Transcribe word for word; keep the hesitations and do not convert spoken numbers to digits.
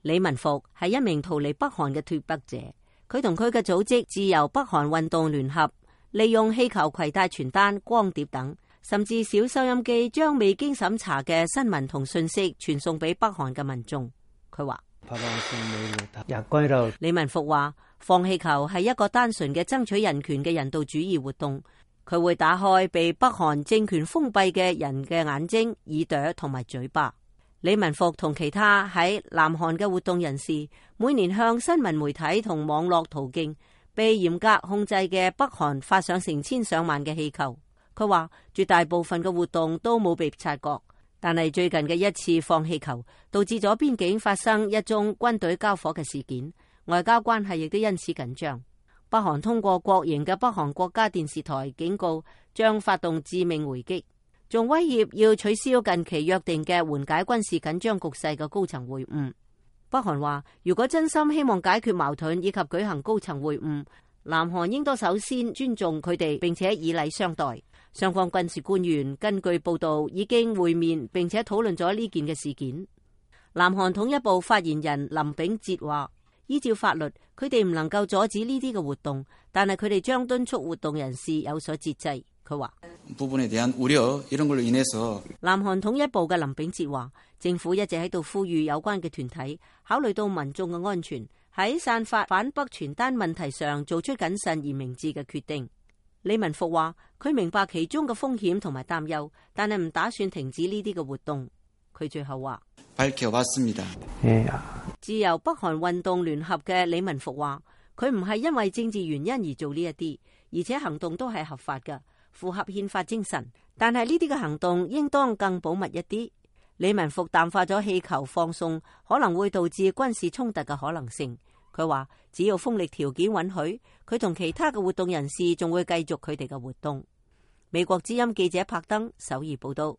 李文復係一名逃離北韓嘅脫北者，佢同佢嘅組織自由北韓運動聯合，利用氣球攜帶傳單、光碟等，甚至小收音機，將未經審查嘅新聞同信息傳送俾北韓嘅民眾。佢話：李文復話，放氣球係一個單純嘅爭取人權嘅人道主義活動，佢會打開被北韓政權封閉嘅人嘅眼睛、耳朵同埋嘴巴。李文復同其他喺南韓嘅活動人士，每年向新聞媒體同網絡途徑被嚴格控制嘅北韓發上成千上萬嘅氣球。佢話絕大部分嘅活動都冇被察覺，但係最近嘅一次放氣球導致咗邊境發生一宗軍隊交火嘅事件，外交關係亦都因此緊張。北韓通過國營嘅北韓國家電視台警告，將發動致命回擊，仲威脅要取消近期約定嘅緩解軍事緊張局勢嘅高層會晤。北韓話，如果真心希望解決矛盾以及舉行高層會晤，南韓應該首先尊重佢哋，並且以禮相待。雙方軍事官員根據報道已經會面，並且討論咗呢件嘅事件。南韓統一部發言人林炳哲話，依照法律，佢哋唔能夠阻止呢啲嘅活動，但係佢哋將敦促活動人士有所節制。佢話南韓統一部嘅林炳哲話，政府一直喺度呼籲有關嘅團體考慮到民眾嘅安全，喺散發反北傳單問題上做出謹慎而明智嘅決定。李文復話，佢明白其中嘅風險同埋擔憂，但係唔打算停止呢啲嘅活動。佢最後話，自由北韓運動聯合嘅李文復話，佢唔係因為政治原因而做呢一啲，而且行動都係合法嘅，符合憲法精神，但係呢啲嘅行動應當更保密一啲。李文復淡化咗氣球放送可能會導致軍事衝突嘅可能性。佢話只要風力條件允許，佢同其他嘅活動人士仲會繼續佢哋嘅活動。美國之音記者柏登首爾報道。